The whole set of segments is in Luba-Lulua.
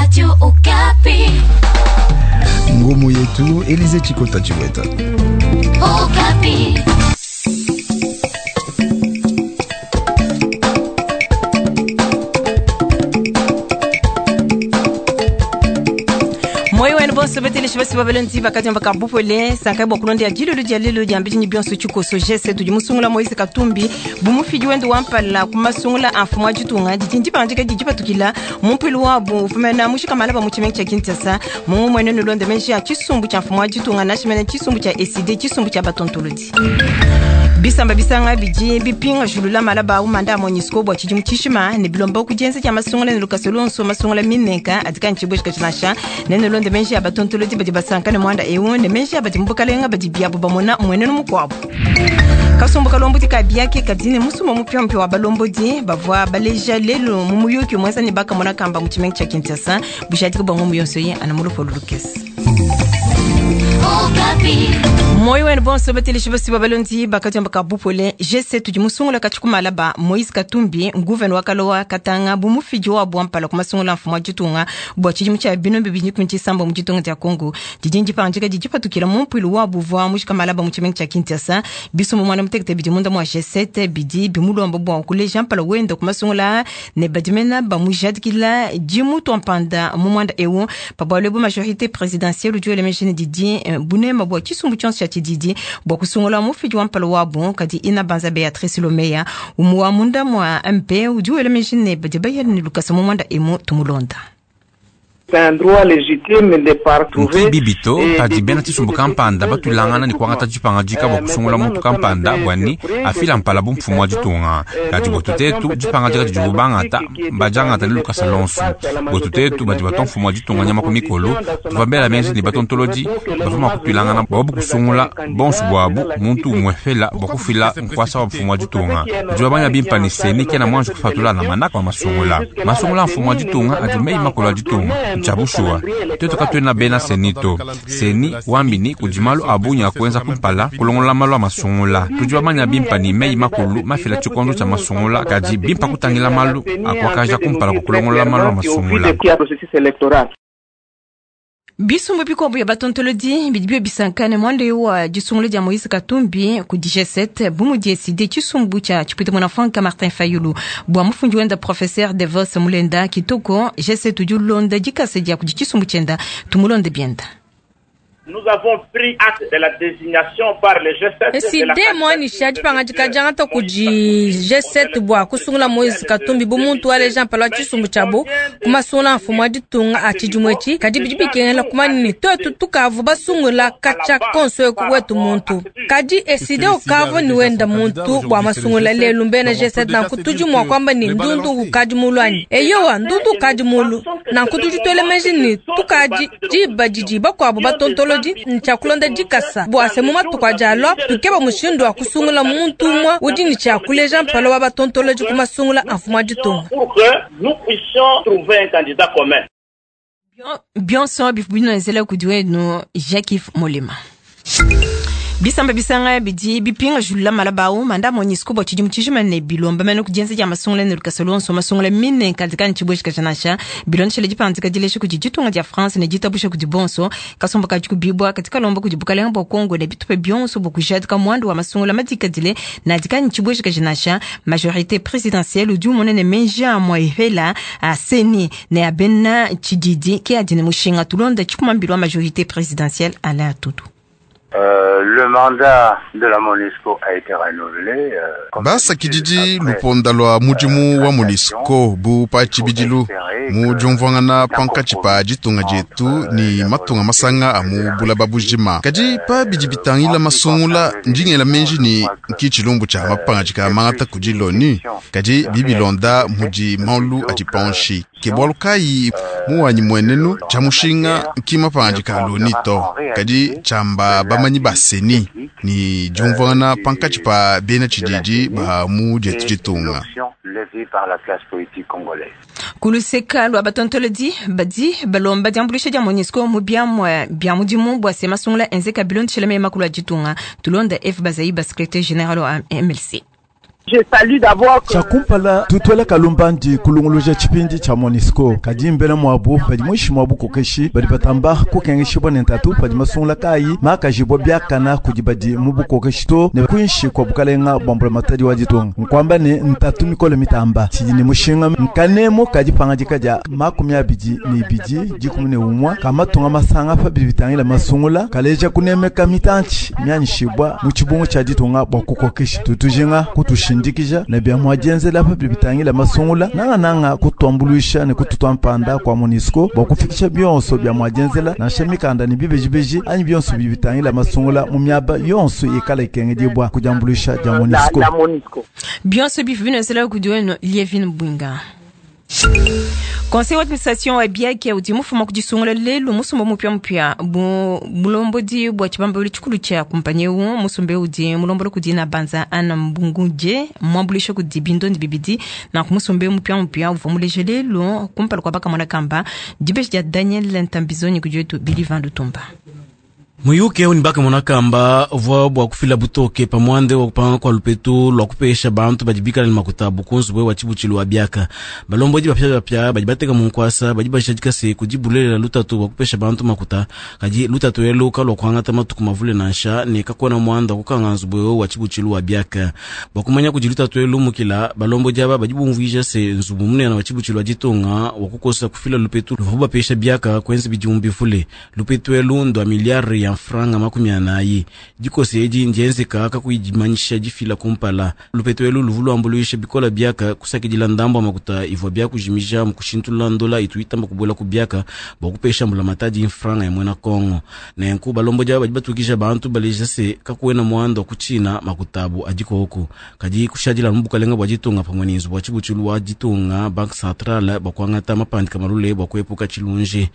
Radio Okapi. Ngumu yetu Elize Chikota Chiweta. Okapi. Moyo wenu bonso beteleshi basi babalonzi bakati bakabupole sankai bwa kulonda ya jilulu dia lelu dia mbijinyi bionso tshikoso gese tudi musungula Moise Katumbi bumufidi wende wampala kumasungula amfumu ajitunga didi ndipandika didi patukila mumpilu wabu ufumena mushikamala ba muchimengi cha Kinshasa mungu mwene nulonde menji ya chisumbu cha mfumu ajitunga nashimene chisumbu cha ECD chisumbu cha batontolodi bisamba bisanga bidi bipinga julula malaba umanda MONUSCO bwa tshidimu tshishima ne bilomba kudienza dia masungula ne lukasa luonso masungula minenka adika ntshibwe tshikatshi ne nulonde menji ya batontolodi badi basanka ne mwanda ewu ne menji ya badi mubukalenga badi biabu bamona mwenenu mukuabu kasumbu kalombodi ka biake kadi ne musumba mupyampya wa balombodi bavua baleja lelo mu muyuki muenza ne bakamona kamba mu tshimenga tshia Kinshasa bujadiki bua ngumu yonso ye ana mulopolo lukese. Okapi. Moyo wenu bonso bateleshi basi babalondi bakati ambaka bupole G7 tudi musungula kachikumala ba Moise Katumbi nguvenu wakalowa katanga bumufidi wa bwampala kumasungula mfumu wa ditunga bwa tshidimu tshia bino bibidi kumi tshisamba mu ditunga dia Congo didi ndipanjika didi patukila mu mpuilu wa buvua mushikamala ba mu tshimenga tshia Kinshasa bisumbu mwana mutekete bidi munda mwa G7 bidi bimulomba bwa kuleja mpala wenda kumasungula ne badimena bamujadikila dimutu mpanda mu mwanda ewu pabwalo bu majorité présidentielle udi elemejene didi bunema bwa tshisumbu tshionso tshia tshididi bwa kusungula mufidi wa mpala wabu kadi ina banza Beatrice Lomeya umu wa munda mwa MP udi elemejene badi bayela ne lukasa mu mwanda emu tumulonda. C'est un droit légitime de partout. Nki bibito padi bena tshisumbu kampanda batulangana ne kuangata dipangadika bua kusungula muntu kampanda bwani afila mpala bu mfumu wa ditunga. Kadi bwetu tetu dipangadika didi bubangata badiangata ne lukasa lonso. Bwetu tetu badi batua mfumu wa ditunga nyama ku mikolo tuvua bela menji ne batontolodi bavua mua kutuilangana bua kusungula bonso buabu muntu umue fela bua kufila nkuasa wa mfumu wa ditunga. Tudi bamanya bimpa ne seni kena muanji kufatula na manaka wa masungula. Masungula a mfumu wa ditunga adi meyi makulu a ditunga. Tshia bushuwa twetu katuena bena seni to seni wambini kudi malu a bungi a kuenza kumpala kulongola malu a masungula. Tudi bamanya bimpa ne meyi makulu mafila tshikondo tshia masungula kadi bimpa kutangila malu a kuakaja kumpala kua kulongola malu a masungula. Bisumbu bikuabu ya batontolodi bidi bio bisankane mwanda wa disungula dia Moise Katumbi ku G7 bu mudi tshisumbu tshia tshipwita mwana Frank Martin Fayulu bua mufundi wenda professeur Devos Mulenda Kitoko G7 udi ulonda dikasa dia kudi tshisumbu tshienda tumulonde bienda. Nous avons pris acte de la désignation par le G7 ECD mwanisha dipangadika diangata kudi G7 bua kusungula Moise Katumbi bu muntu waleja mpala wa tshisumbu tshiabu kumasungula mfumu wa ditunga a tshidimu etshi kadi bidi bikengela kumanya ne tuetu tukavu basungula katshia konso eku wetu muntu kadi ECD ukavua ni wenda muntu bua masungula lelu mbena G7 nanku tudi mua kuamba ne ndundu ukadi mulu anyi eyowa ndundu ukadi mulu nanku tudi tuela meji ne tukadi diba didi bakuabu batontolodi ntshia kulonda dikasa bua se mu matuku adi alua tukeba mushindu wa kusungula muntu umue udi ne tshia kuleja mpala wa batontolodi ku masungula a mfumu wa ditunga. Pour que nous puissions trouver un candidat commun. Bionso bivubinozela kudi wenu Jacques Molema. Bisamba bisanga bidi bipinga julula malaba manda MONUSCO bua tshidimu tshijima ne bilomba mene kudienza dia masungula ne lukasa luonso masungula mine kadi tshibwe tshikatshi bilondeshele dipangadika dilesha kudi ditunga dia France ne ditabusha kudi bonso kasumbu kadi kubibwa katika lomba kudi bukalenga bua Congo ne bitupe bionso bua kujadika mwandu wa masungula madikadile na dikani tshibwe tshikatshi majorité présidentielle udi umona ne menji a moihela a seni ne abena tshididi ke adi ne mushinga tulonda tshikumambilo wa majorité présidentielle Alain Tutu. Le mandat de la MONUSCO a été renouvelé. Basakididi luponda lwa mudimu wa MONUSCO bu pa tshibidilu mu diumvuangana pankatshi pa ditunga dietu ni matunga masanga a mu bulaba bujima kadi pa bidi bitangila masungula ndingela menji ni nki tshilumbu tshia mapangadika mangata kudi loni kadi bibilonda mudi malu adi panshi ke bualu kayi muwanyi muenenu tshia mushinga nki mapangadika a loni to kadi tshiamba bamanyi ba seni ni diumvuangana pankatshi pa bena tshididi ba mu dietu ditunga. Kuluseka lwa batontolodi badi balomba diambulisha dia MONUSCO mu biamua bia mudimu bua se masungula enzeka bilondeshele mema makulu a ditunga tulonda F Bazaiba secrétaire général wa MLC. Tshia kumpala tutuela kalumbandi kulunguluja tshipindi tshia MONUSCO kadi mbena muabu badi muinshi mua bukokeshi badi batamba kukengeshibua ne ntatu padi masungula kayi makajibua biakana kudi badi mu bukokeshi to ne kuinshi kua bukalenga bua mbulamatadi wa ditunga. Nkuamba ne ntatu mikole mitamba tshidi ne mushinga nkanemu ka dipangadika dia 22 11 ka matunga masanga pa bidi bitangila masungula kaleja kunemeka mitantshi mianyishibua mu tshibungu tshia ditunga bua kukokesha. Tutujinga kutushindikija ne bia muadienzela pa bidi bitangila masungula nangananga kutuambuluisha ne kututua mpanda kua MONUSCO bua kufikisha bionso bia muadienzela nansha mikanda ne bibejibeji anyi bionso bidi bitangila masungula mu miaba yonso ikala ikengedibua kudiambuluisha dia MONUSCO. Bionso bifu binozela kudi wenu Lievin Bwinga. Conseil d'administration wa BIAC udi mufuma kudisungula lelu musumba mupya mupya bu bulombodi bua tshibambalu tshikulu tshia kumpanyi eu musumba udi mulombola kudi na banza ana mbunguje muambulisha kudi bindondi bibidi na kumusumba mupya mupya uvua muleje lelu kumpala kua bakamona kamba dibeji dia Daniel Ntambizoni kudi wetu Billy Van Lutumba. Muyuke uni bakamona kamba uvua bua kufila butoke pamwande wa kupanga kwa lupetu lwa kupesha bantu badi bikala ne makuta bukunzu bwe wa tshibutshilu wa biaka. Balombodi bapya bapya badi bateka mu nkwasa badi bashadika se kudi bulelela lutatu bua kupesha bantu makuta kadi lutatu elu kalua kuangata matuku mavule nansha ne kakuena muanda kukanga nzubu eu wa tshibutshilu wa biaka. Bua kumanya kudi lutatu elu mukila balombodi aba badi bumvuija se nzubu munene wa tshibutshilu wa ditunga wa kukosa kufila lupetu luvua bapesha biaka kwenza bidimu bivule. Lupetu elu ndwa miliare ya franga 40 dikosi edi ndienzeka kakuyidimanyisha difila kumpala. Lupetu elu luvu luambuluisha bikola biaka kusakidila ndambo ya makuta ivua biakujimija mukushintulula ndola itu itamba kubuela ku biaka bua kupesha mbulamatadi franga ya mwena Kongo. Nenku balombodi aba badi batukisha bantu baleja se kakuena muanda wa kutshina makutabu adikoku kadi kushadila mu bukalenga bua ditunga pamue ne nzubu wa tshibutshilu wa ditunga Banque Centrale bua kuangata mapandika malule bua kuepuka tshilunji.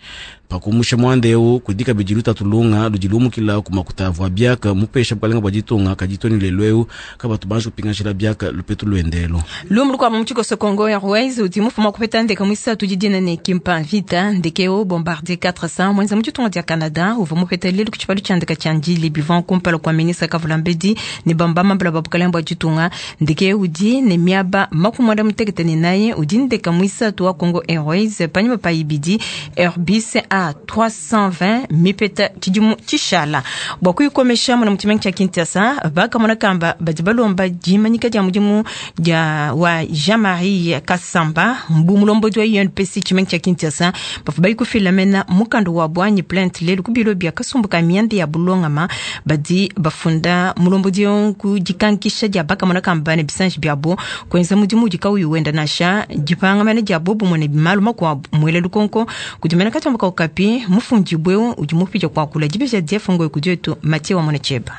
Pakumusha muanda eu kudi kabidi lutatu lunga ludi lumukila ku makuta avua biaka mupesha bukalenga bua ditunga kadi toni lelu eu kabatu banji kupingashila biaka lupetu luendelo. Lumu lukuabu mu tshikoso Congo Airways udi mufuma kupeta ndeke muisatu didina ne Kimpa Vita ndeke eu Bombardier 400 mwenza mu ditunga dia Canada uvua mupeta lelu ku tshipalu tshia ndeke tshia Ndjili bivua kumpala kua ministre Kavula Mbedi ne bamba mambala ba bukalenga bua ditunga. Ndeke eu udi ne miaba 94 udi ndeke muisatu wa Congo Airways panyima pa ibidi Airbus A320 mipeta tshidimu tshishala bua kuyikomesha muna mutshimenga tshia Kinshasa bakamona kamba badi balomba dimanyika dia mudimu dia wa Jean-Marie Kasamba mbu mulombodi wa UNPC tshimenga tshia Kinshasa bavua bayikufila mena mukanda wa bwanyi plainte lelu ku bilo bia kasumbu ka mianda ya bulongama badi bafunda mulombodi ku dikankisha dia bakamona kamba ne bisanji biabo kuenza mudimu udi kauyi wenda nansha dipangamana dia bobu mune malu makuabu muele lukonko kudi mena katomba kaukapi mufundi bweu udi mupija kuakula dibeja dia fungo kudietu Mathieu wa Monecheba.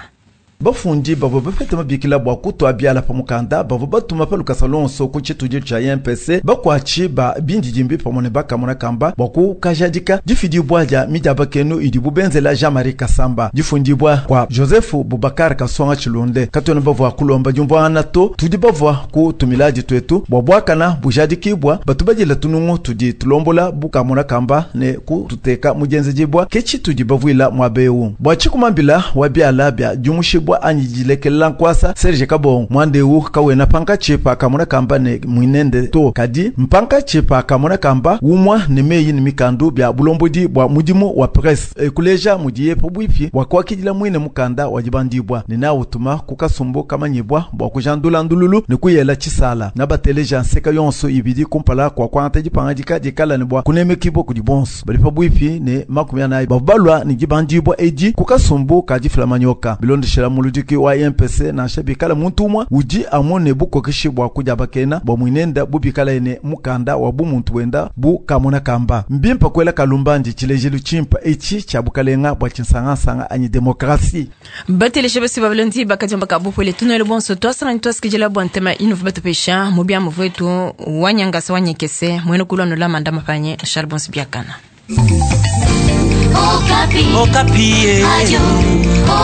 Bafundi bavua bapete mabikila bua kutua biala pa mukanda bavua batuma pa lukasa lonso ku tshitudio tshia IMPC bakuatshi ba bindidimbi pamue ne bakamona kamba bua kukajadika difidibua dia midiaba kenu idibu benzela Jean-Marie Kasamba difundibua kua Joseph Bubakar Kasonga Tshilunde. Katuena bavua kulomba diumvuangana to tudi bavua kutumila dituetu bua buakana bujadikibua batu badila tunungu tudi tulombola bukamona kamba ne kututeka mudienzedibua ke tshitudi bavuila muaba eu bua tshikumambila wa biala bia diumushibua anyi dilekelela nkwasa Serge Kabongo mwandeu kawena pankatshi pakamona kamba ne mwinende to kadi mpankatshi pakamona kamba umwa ne meyi ne mikandu bia bulombodi bua mudimu wa presse ekuleja mudiye pabwipi bua kuakidila mwine mukanda wa dibandibua ne nautuma ku kasumbu kamanyibua bua kujandula ndululu ne kuyela tshisala na bateleja nseka yonso ibidi kumpala kua kuangata dipangadika dikala ne bua kunemekibua kudi bonso bali pabwipi ne 40 babalwa ne dibandibua edi ku kasumbu ka difila manyoka bilondeshela muludiki wa IMPC nansha bikala muntu umwe udi amone bukokeshi bua kudia bakena bua mwinenda bubikala ene mukanda wa bumuntu wenda bu kamona kamba mbimpa kwela kalumbandi tshilejelu tshimpa etshi tshia bukalenga bua tshinsangansanga anyi demokrasi. Batelesha basi babalondi bakadiamba kabupwele tunele bonso twasangani twasikijela bua ntema inu batupesha mubia muvetu wanyangasa wanyekese mwene kulwa la manda mapanye Charles Bonsi biakana. Okapi. Okapi. Radio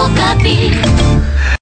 Okapi.